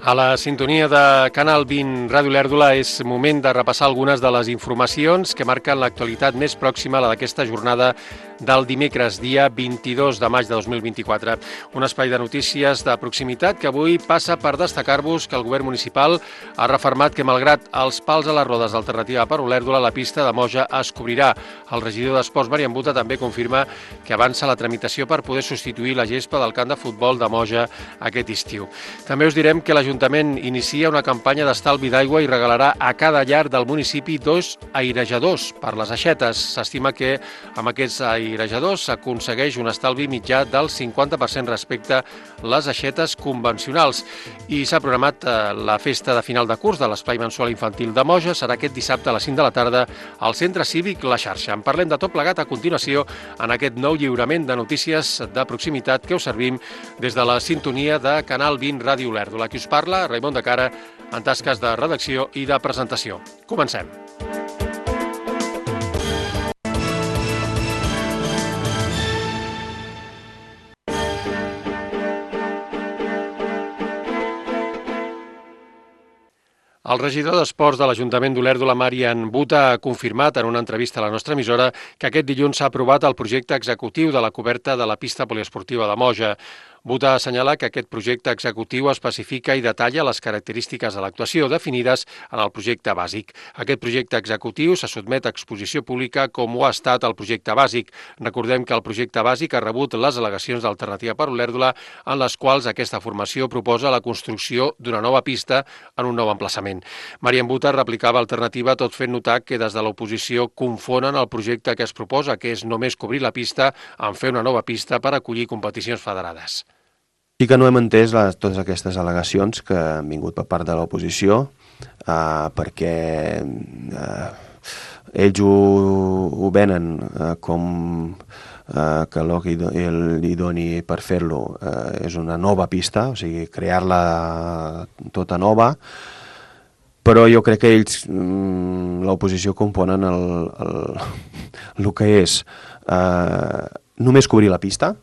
A la sintonia de Canal 20 Ràdio Lèrdula és moment de repassar algunes de les informacions que marquen l'actualitat més pròxima a la d'aquesta jornada del dimecres, dia 22 de maig de 2024. Un espai de notícies de proximitat que avui passa per destacar-vos que el govern municipal ha refermat que, malgrat els pals a les rodes d'Alternativa per Olèrdola, la pista de Moja es cobrirà. El regidor d'Esports, Marian Buta, també confirma que avança la tramitació per poder substituir la gespa del camp de futbol de Moja aquest estiu. També us direm que l'Ajuntament inicia una campanya d'estalvi d'aigua i regalarà a cada llar del municipi 2 airejadors per les aixetes. S'estima que amb aquests airejadors s'aconsegueix un estalvi mitjà del 50% respecte a les aixetes convencionals. I s'ha programat la festa de final de curs de l'Espai Mensual Infantil de Moja. Serà aquest dissabte a les 5 de la tarda al Centre Cívic La Xarxa. En parlem de tot plegat a continuació en aquest nou lliurament de notícies de proximitat que us servim des de la sintonia de Canal 20 Ràdio Lèrdula. Qui us parla, Raimon de Cara, en tasques de redacció i de presentació. Comencem. El regidor d'Esports de l'Ajuntament d'Olèrdola, Marian Buta, ha confirmat en una entrevista a la nostra emissora que aquest dilluns s'ha aprovat el projecte executiu de la coberta de la pista poliesportiva de Moja. Buta assenyala que aquest projecte executiu especifica i detalla les característiques de l'actuació definides en el projecte bàsic. Aquest projecte executiu se sotmet a exposició pública com ho ha estat el projecte bàsic. Recordem que el projecte bàsic ha rebut les al·legacions d'Alternativa per Olèrdola, en les quals aquesta formació proposa la construcció d'una nova pista en un nou emplaçament. Marian Buta replicava Alternativa tot fent notar que des de l'oposició confonen el projecte que es proposa, que és només cobrir la pista, en fer una nova pista per acollir competicions federades. Sí que no hem entès totes aquestes al·legacions que han vingut per part de l'oposició, perquè ells ho venen com que el que li doni per fer-lo és una nova pista, o sigui, crear-la tota nova, però jo crec que ells, l'oposició, componen el que és només cobrir la pista.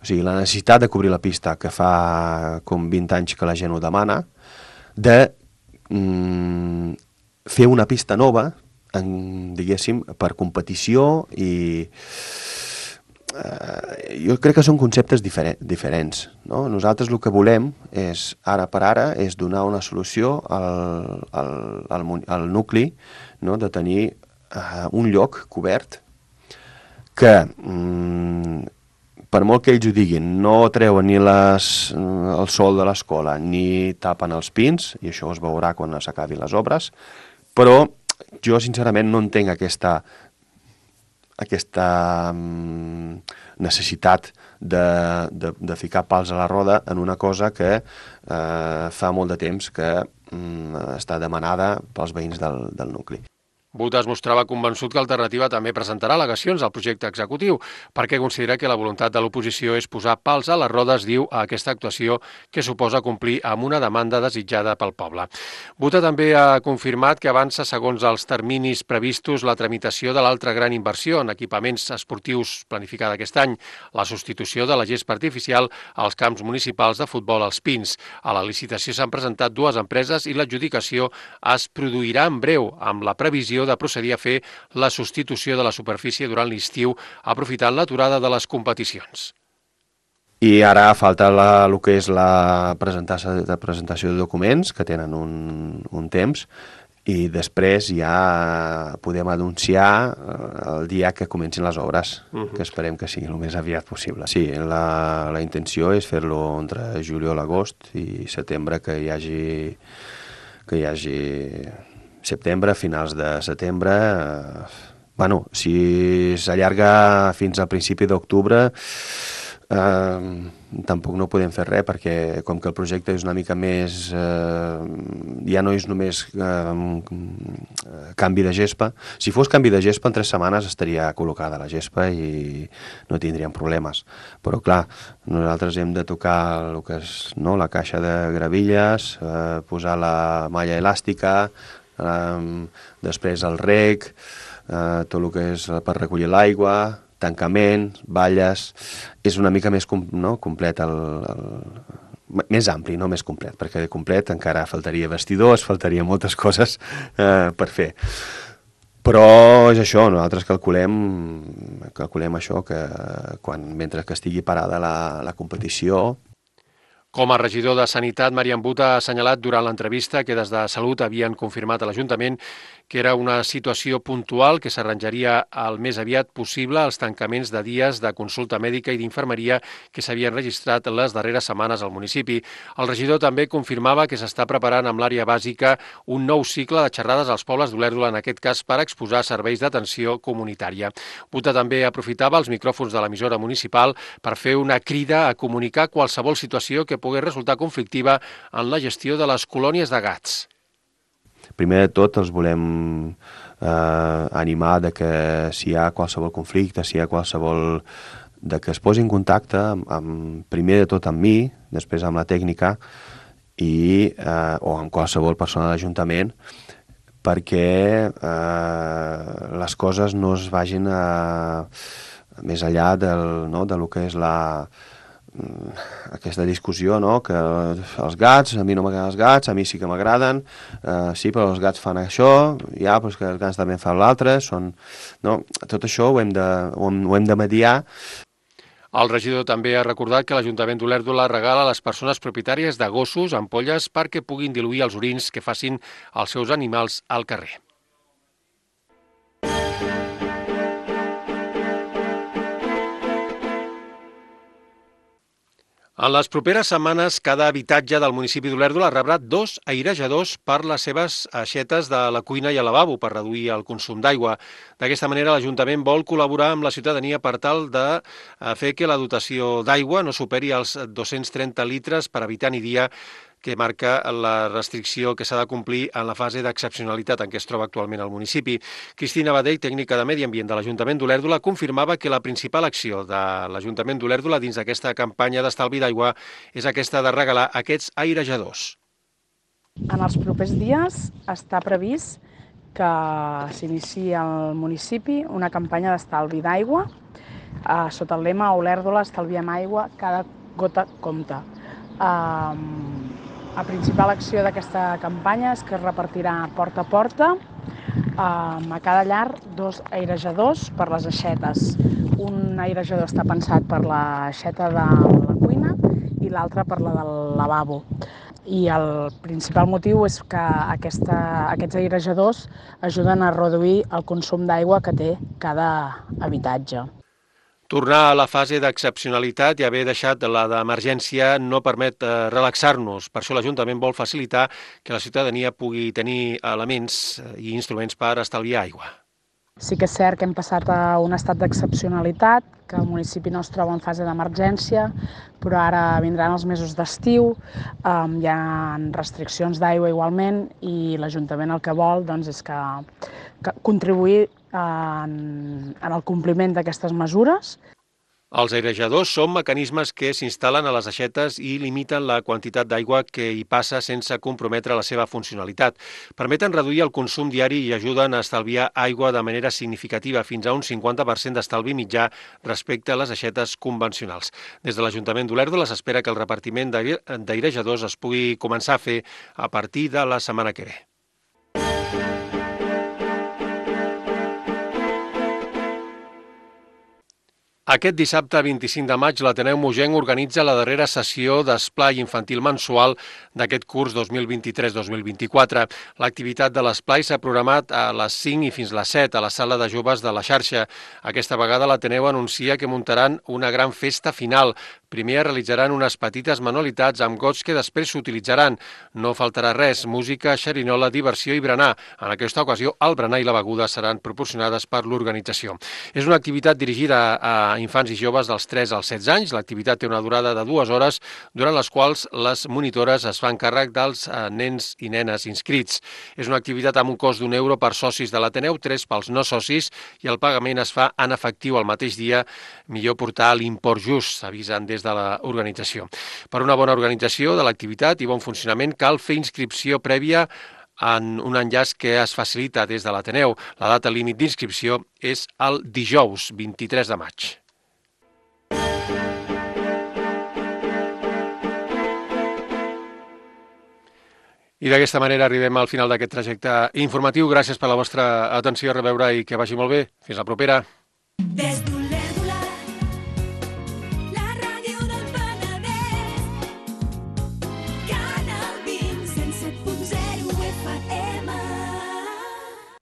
O sigui, la necessitat de cobrir la pista, que fa com 20 anys que la gent ho demana, de fer una pista nova, diguéssim, per competició, i jo crec que són conceptes diferents. No? Nosaltres el que volem és, ara per ara, és donar una solució al nucli, no? De tenir un lloc cobert que per molt que ells ho diguin, no treuen ni el sol de l'escola ni tapen els pins, i això es veurà quan s'acabin les obres, però jo sincerament no entenc aquesta necessitat de ficar pals a la roda en una cosa que fa molt de temps que està demanada pels veïns del nucli. Buta es mostrava convençut que Alternativa també presentarà al·legacions al projecte executiu, perquè considera que la voluntat de l'oposició és posar pals a les rodes, diu, a aquesta actuació que suposa complir amb una demanda desitjada pel poble. Buta també ha confirmat que avança segons els terminis previstos la tramitació de l'altra gran inversió en equipaments esportius planificada aquest any, la substitució de la gespa artificial als camps municipals de futbol als Pins. A la licitació s'han presentat 2 empreses i l'adjudicació es produirà en breu, amb la previsió de procedir a fer la substitució de la superfície durant l'estiu, aprofitant l'aturada de les competicions. I ara falta el que és la presentació de documents, que tenen un temps, i després ja podem anunciar el dia que comencin les obres, que esperem que sigui el més aviat possible. Sí, la intenció és fer-lo entre juliol, agost i setembre, que hi hagi setembre, finals de setembre. Si s'allarga fins al principi d'octubre, tampoc no podem fer res, perquè com que el projecte és una mica més, ja no és només canvi de gespa. Si fos canvi de gespa, en 3 setmanes estaria col·locada la gespa i no tindríem problemes. Però clar, nosaltres hem de tocar el que és, no, la caixa de gravilles, posar la malla elàstica, després el rec, tot el que és per recollir l'aigua, tancament, valles. És una mica més complet més ampli, no més complet, perquè de complet encara faltaria vestidors, faltaria moltes coses per fer. Però és això, nosaltres calculem això, que mentre que estigui parada la competició. Com a regidor de Sanitat, Marian But ha assenyalat durant l'entrevista que des de Salut havien confirmat a l'Ajuntament que era una situació puntual que s'arranjaria el més aviat possible als tancaments de dies de consulta mèdica i d'infermeria que s'havien registrat les darreres setmanes al municipi. El regidor també confirmava que s'està preparant amb l'àrea bàsica un nou cicle de xerrades als pobles d'Olèrdola, en aquest cas per exposar serveis d'atenció comunitària. Buta també aprofitava els micròfons de l'emissora municipal per fer una crida a comunicar qualsevol situació que pogués resultar conflictiva en la gestió de les colònies de gats. Primer de tot els volem animar de que si hi ha qualsevol conflicte, si hi ha qualsevol... de que es posi en contacte primer de tot amb mi, després amb la tècnica o amb qualsevol persona de l'Ajuntament, perquè les coses no es vagin més enllà del que és aquesta discussió, no? Que els gats, a mi no m'agraden els gats, a mi sí que m'agraden, sí, però els gats fan això, ja, però és que els gats també fan l'altre, no? Tot això ho hem de mediar. El regidor també ha recordat que l'Ajuntament d'Olèrdola regala a les persones propietàries de gossos ampolles perquè puguin diluir els orins que facin els seus animals al carrer. En les properes setmanes, cada habitatge del municipi d'Olèrdola rebrà 2 airejadors per les seves aixetes de la cuina i el lavabo per reduir el consum d'aigua. D'aquesta manera, l'Ajuntament vol col·laborar amb la ciutadania per tal de fer que la dotació d'aigua no superi els 230 litres per habitant i dia, que marca la restricció que s'ha de complir en la fase d'excepcionalitat en què es troba actualment el municipi. Cristina Badell, tècnica de Medi Ambient de l'Ajuntament d'Olèrdola, confirmava que la principal acció de l'Ajuntament d'Olèrdola dins d'aquesta campanya d'estalvi d'aigua és aquesta de regalar aquests airejadors. En els propers dies està previst que s'iniciï al municipi una campanya d'estalvi d'aigua sota el lema Olèrdola estalviem aigua, cada gota compta. La principal acció d'aquesta campanya és que es repartirà porta a porta a cada llar 2 airejadors per les aixetes. Un airejador està pensat per l'aixeta de la cuina i l'altre per la del lavabo. I el principal motiu és que aquests airejadors ajuden a reduir el consum d'aigua que té cada habitatge. Tornar a la fase d'excepcionalitat i haver deixat la d'emergència no permet relaxar-nos. Per això l'Ajuntament vol facilitar que la ciutadania pugui tenir elements i instruments per estalviar aigua. Sí que és cert que hem passat a un estat d'excepcionalitat, que el municipi no es troba en fase d'emergència, però ara vindran els mesos d'estiu, hi ha restriccions d'aigua igualment i l'Ajuntament el que vol és que contribuir en el compliment d'aquestes mesures. Els airejadors són mecanismes que s'instal·len a les aixetes i limiten la quantitat d'aigua que hi passa sense comprometre la seva funcionalitat. Permeten reduir el consum diari i ajuden a estalviar aigua de manera significativa, fins a un 50% d'estalvi mitjà respecte a les aixetes convencionals. Des de l'Ajuntament d'Olèrdola s'espera que el repartiment d'airejadors es pugui començar a fer a partir de la setmana que ve. Aquest dissabte 25 de maig l'Ateneu Mogenc organitza la darrera sessió d'esplai infantil mensual d'aquest curs 2023-2024. L'activitat de l'esplai s'ha programat a les 5 i fins a les 7 a la sala de joves de la xarxa. Aquesta vegada l'Ateneu anuncia que muntaran una gran festa final. Primer realitzaran unes petites manualitats amb gots que després s'utilitzaran. No faltarà res, música, xerinola, diversió i berenar. En aquesta ocasió, el berenar i la beguda seran proporcionades per l'organització. És una activitat dirigida a infants i joves dels 3 als 16 anys. L'activitat té una durada de 2 hores, durant les quals les monitores es fan càrrec dels nens i nenes inscrits. És una activitat amb un cost d'1 € per socis de l'Ateneu, 3 pels no socis, i el pagament es fa en efectiu el mateix dia. Millor portar l'import just, s'avisen des de l'organització. Per una bona organització de l'activitat i bon funcionament cal fer inscripció prèvia en un enllaç que es facilita des de l'Ateneu. La data límit d'inscripció és el dijous 23 de maig. I d'aquesta manera arribem al final d'aquest trajecte informatiu. Gràcies per la vostra atenció, a reveure i que vagi molt bé. Fins la propera.